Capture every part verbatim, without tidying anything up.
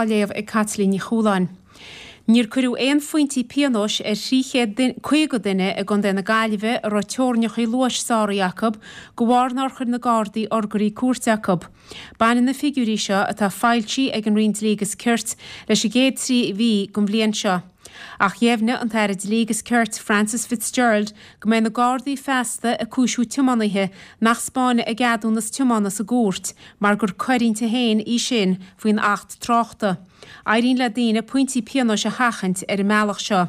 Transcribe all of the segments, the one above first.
Á léamh ag Caitlín Ní Chualáin. Níor cuireadh aon phointí pionóis ar thrí chéad caoga duine i gContae na Gaillimhe a raibh teorainneacha luais sáraithe acu de bharr nár chuir na Gardaí urguirí cúirte acu. Baineann na figiúirí seo, atá foilsithe ag an Roinn Dlí agus Cirt, leis an gcéad trí mhí den bhliain seo. Ach dheimhnigh an tAire Dlí agus Cirt Frances Fitzgerald go mbeidh na Gardaí feasta ag cúisiú tiománaithe nach 'spáinfidh a gceadúnas tiomána sa gcúirt mar gur coir inti féin í sin faoin Acht Tráchta. Éiríonn le daoine pointí pionóis a sheachaint ar an mbealach seo.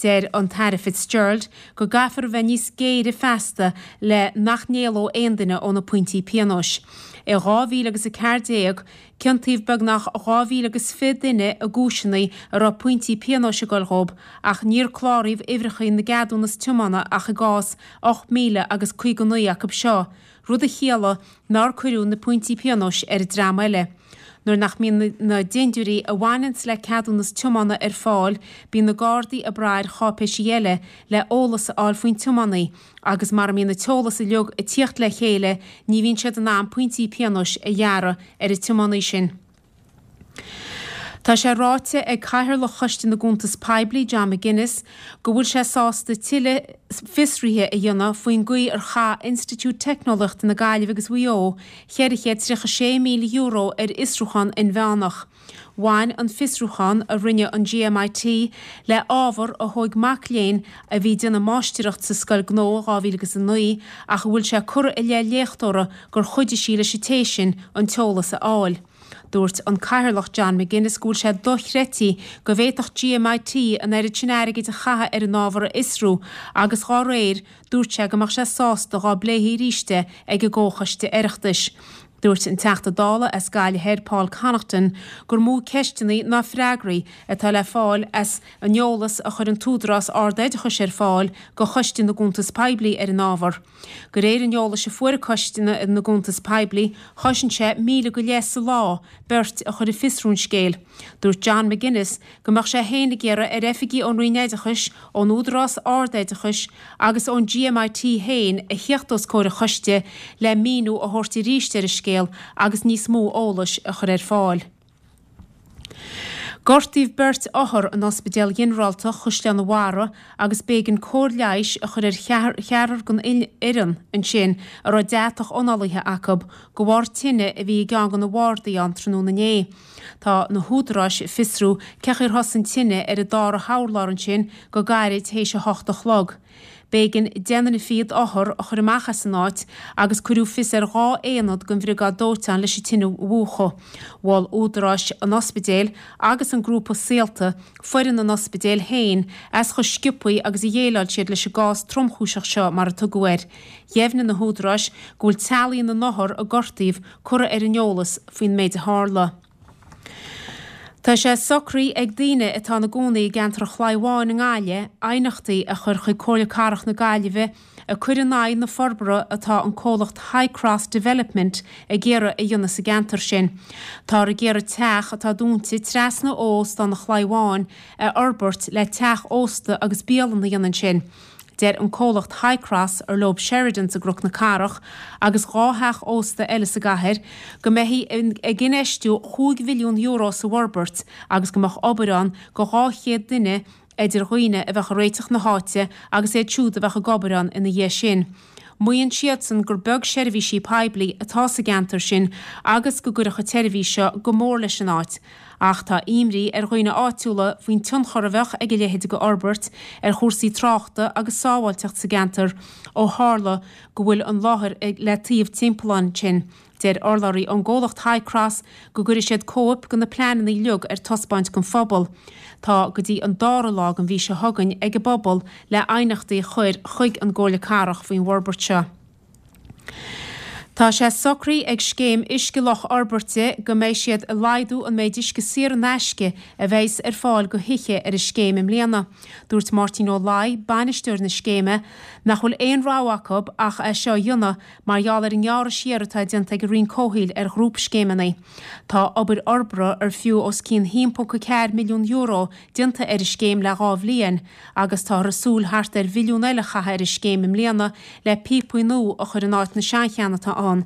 Deir an tAire Fitzgerald go gcaithfear a bheith níos géire feasta le nach n-éalódh aon duine ó na pointí pionóis. I dhá mhíle agus a ceathair déag, ciontaíodh beagnach dhá mhíle agus fiche duine i gcúiseanna a raibh pointí pionóis ag dul dhóibh ach níor cláraíodh uimhreacha na gceadúnas tiomána ach i gcás ocht míle agus caoga naoi acu seo, rud a chiallaigh nár cuireadh na pointí pionóis ar an dream eile. Nuair nach mbíonn na dintiúirí a bhaineanns le ceadúnas tiomána ar fáil, bíonn na Gardaí ag brath ar cháipéisí eile le eolas a fháil faoin tiománaí agus mara mbíonn an t-eolas uilig ag tíocht le chéile ní bhíonn siad in ann pointí pionóis a ghearradh ar an tiománaí sin. Tá sé ráite ag Cathaoirleach Choiste na gCuntas Poiblí, John McGuinness, go bhfuil sé sásta tuilleadh fiosruithe a dhéanamh faoin gcaoi ar chaith Institiúid Teicneolaíochta na Gaillimhe agus Mhaigh Eo ceithre chéad tríocha sé míle euro ar fhiosrúchán inmheánach. Bhain an fiosrúchán a rinne an GMIT le ábhar a thóig mac léinn a bhí ag déanamh máistreacht sa Scoil Gnó i dhá mhíle agus a naoi ach a bhfuil sé curtha i leith léachtóra gur chuidigh sí leis an té sin an t-eolas a fháil. Dúirt an Cathaoirleach John McGuinness go bhfuil sé dochreidte go bhféadfadh GMIT an oiread sin airgid a chaitheamh ar an ábhar a fhiosrú agus dhá réir dúirt sé go mbeadh sé sásta dhá bpléifí arís é ag an gComhchoiste Oireachtais. Dúirt an Teachta Dála as Gaillimh Thoir Paul Connaughton gur mó ceisteanna ná freagraí atá le fáil as an eolas a chuir an tÚdarás Ard-Oideachais ar fáil go Choiste na gCuntas Poiblí ar an ábhar. De réir an eolais a fuair Coiste na gCuntas Poiblí, chosain sé míle go leith sa lá beirt a chur ag fiosrú an scéil. Dúirt John McGuinness go mbeadh sé féin ag iarraidh ar oifigigh ón Roinn Oideachais, ón Údarás Ard-Oideachais agus ón GMIT féin a theacht os comhair an choiste le míniú a thabhairt arís ar an scéal agus níos mó eolais a chur ar fáil. Gortaíodh beirt othar in Ospidéal Ghinearálta Chaisleán an Bharraigh agus b'éigean cóir leighis a chur ar cheathrar den fhoireann ansin a raibh deatach ionálaithe acu de bharr tine a bhí i gceann de na bardaí ann tráthnóna inné. Tá na húdaráis ag fiosrú cén chaoi ar thosaigh an tine ar an dara hurlár ansin go gairid théis a hocht a chlog. B'éigean deich nduine fichead othar a chur amach as an áit agus cuireadh fios ar dhá aonad den bhriogáid dóiteáin leis an tine a mhúchadh. Mhol údaráis an ospidéil agus an grúpa Saolta foireann an ospidéil féin as chomh sciobtha agus a dhéileáil siad leis an gcás tromchúiseach seo mar a tugadh air. Dheimhnigh na húdaráis go bhfuil teaghlaigh na n-othar a gortaíodh curtha ar an eolas faoin méid a tharla. Tá sé socraithe ag daoine atá ina gcónaí i gceantar an Chlaí Bháin i nGaillimh aighneachtaí a chur chuig Comhairle Cathrach na Gaillimhe ag cur in aghaidh na forbartha atá an comhlacht Highcross Development ag iarraidh a dhéanamh sa gceantar sin. Táthar ag iarraidh teach atá dúnta trasna ó Óstán an Chlaí Bháin a fhorbairt le teach ósta agus bialann a dhéanamh ansin. Deir an comhlacht Highcross, ar leo Sheridans i gCnoc na Cathrach agus dhá theach ósta eile sa gcathair, go mbeifí ag infheistiú chúig mhilliún euro sa bhforbairt agus go mbeadh obair ann go dhá chéad duine idir dhaoine a bheadh ag réiteach na háite agus iad siúd a bheadh ag obair ann ina dhiaidh sin. Maíonn siadsan gur beag seirbhísí poiblí atá sa gceantar sin agus go gcuirfeadh an tseirbhís seo go mór leis an áit. Ach tá imní ar dhaoine áitiúla faoin tionchar a bheadh ag a leithéid de fhorbairt ar chúrsaí tráchta agus sábháilteacht sa gceantar ó tharla go bhfuil an láthair le taobh timpealláin ansin. Deir urlabhraí ón gcomhlacht Highcross go gcuirfidh siad cóip de na pleananna uilig ar taispeáint don phobal. Tá go dtí an dara lá den mhí seo chugainn ag an bpobal le aighneachtaí a chur chuig an gComhairle Cathrach faoin bhforbairt seo. Tá sé socraithe ag Scéim Uisce Loch Fhorbairte go mbeidh siad ag laghdú an méid uisce saor in aisce a bheas ar fáil go thithe ar an scéim i mbliana. Dúirt Máirtín Ó Laoi, bainisteoir na scéime, nach bhfuil aon rogha acu ach é seo a dhéanamh mar gheall ar an ngearradh siar atá déanta ag an Roinn Comhshaoil ar ghrúpscéimeanna. Tá obair fhorbartha ar fiú os cionn a haon ponc a ceathair milliún euro déanta ar an scéim le dhá bhliain agus táthar ag súil thart ar mhilliún eile a chaitheamh ar an scéim i mbliana le píopaí nua a chur in áit na seancheann atá ann. ann.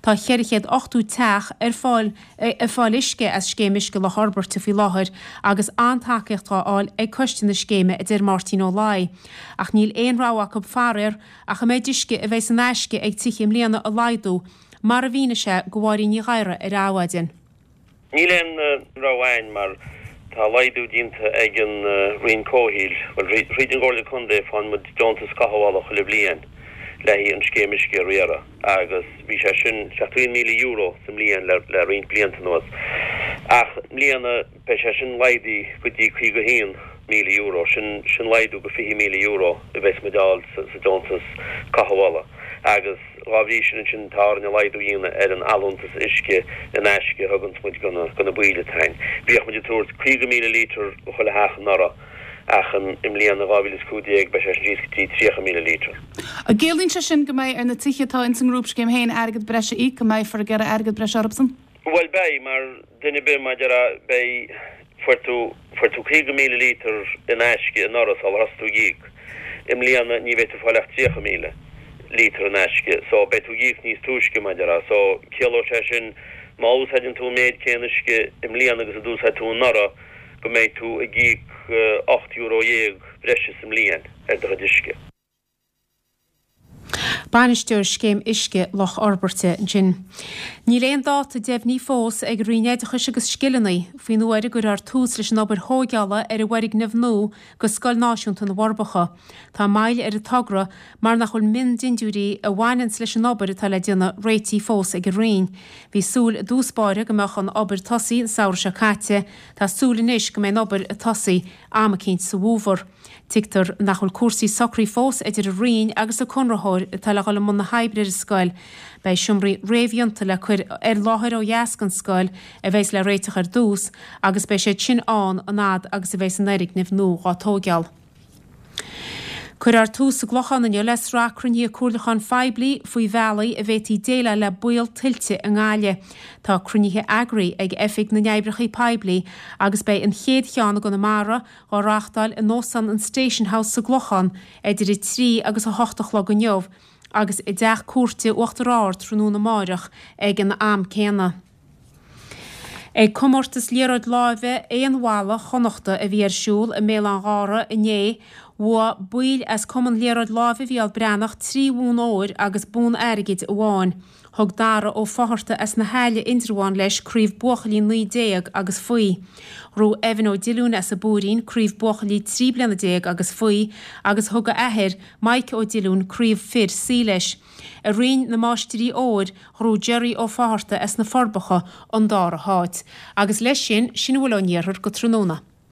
Tá ceithre chéad ochtó teach ar fáil ag fáil uisce as Scéim Uisce Loch Fhorbairte faoi láthair agus an-tacaíocht dhá fháil ag coiste na scéime, a deir Máirtín Ó Laoi. Ach níl aon rogha acu faraor ach an méid uisce a bheidh in aisce ag tithe i mbliana a laghdú, mar a mhínigh sé do Mháirín Ní Ghadhra ar Adhmhaidin. Níl aon rogha againn mar tá laghdú déanta ag an Roinn Comhshaoil, bhuel, thríd an gComhairle Contae faigheann muid deontas cothabhála chuile bhliain le haghaidh an scéim uisce a riaradh agus bhí sé sin seachtó aon míle euro sa mbliain le le roinnt blianta anuas ach i mbliana beidh sé sin laghdaithe go dtí caoga haon míle euro, sin sin laghdú go fiche míle euro a bheas muid a fháil sa sa deontas cothabhála agus dhá bhrí sin ansin tá orainn laghdú a dhéanamh ar an allúntas uisce in aisce a thuganns muid do na baill atá againn. Bhíodh muid ag tabhairt caoga míle lítear do chuile theach anuraidh ach i mbliana, dhá mhíle is cúig déag, beidh sé sin síos go dtí tríocha míle lítear. An gciallaíonn sé sin go mbeidh ar na tithe atá ins an ngrúpscéim féin airgead breise a íoc, go mbeifear ag iarraidh airgead breise orthusan? Bhuel beidh, mar duine ar bith mar a déarfá, beidh, fuair tú, fuair tú caoga míle lítear in aisce anuraidh sular thosaigh tú ag íoc. I mbliana ní bheidh tú ag fáil ach tríocha míle lítear in aisce so beidh tú ag íoc níos túisce mar a déarfá. So ciallóidh sé sin má úsáideann tú an méid céanna uisce i mbliana agus a d'úsáid tú anuraidh go mbeidh tú ag íoc ocht euro dhéag breise sa mbliain ar do chuid uisce. Bainisteoir Scéim Uisce Loch Fhorbairte ansin. Níl aon dáta deimhnithe fós ag Roinn Oideachais agus Scileanna faoin uair a gcuirfear tús leis an obair thóigeála ar an bhfoirgneamh nua do Scoil Náisiúnta na bhForbacha. Tá moill ar an togra mar nach bhfuil miondindiúirí a bhaineanns leis an obair atá le déanamh réitithe fós ag an Roinn. Bhí súil i dtús báire go mbeadh an obair tosaithe an samhradh seo caite. Tá súil anois go mbeidh an obair ag tosaí am eicínt sa bhfómhar. Tuigtear nach bhfuil cúrsaí socraithe fós idir an Roinn agus an conraitheoir atá le dhul i mbun na hoibre ar an scoil. Beidh seomraí réamhdhéanta le cur ar láthair ó dheas den scoil a bheas le réiteach ar dtús agus beidh siad sin ann an fhad agus a bheas an fhoirgneamh nua dhá tóigeáil. Cuirfear tús sa gClochán inniu le sraith cruinnithe comhairliúcháin phoiblí faoi bhealaí a bhféadfaí déileáil le baol tuilte i nGaillimh. Tá cruinnithe eagraithe ag Oifig na nOibreacha Poiblí agus beidh an chéad cheann i gConamara á reáchtáil in Óstán an Station House sa gClochán idir a trí agus a hocht a chlog inniu agus i dTeach Cúirte Uachtar Ard tráthnóna amáireach ag an am céanna. Ag comórtas liathróid láimhe aon bhalla Chonnachta a bhí ar siúl i mBéal Átha'n Ghaorthaidh inné, bhuaigh baill as Cumann Liathróid Láimhe Mhícheál Breathnach trí bhonn óir agus bonn airgid amháin. Thug Dara Ó Fátharta as na hAille, Indreabhán leis craobh buachaillí naoi déag agus faoi. Ghnóthaigh Evan Ó Diolúin as an bPúirín craobh buachaillí trí bliana déag agus faoi agus thug a athair, Mike Ó Diolúin craobh fir C leis. I roinn na máistirí óir, ghnóthaigh Gerry Ó Fátharta as na Forbacha an dara háit. Agus leis sin, sin a bhfuil ón iarthar go tráthnóna.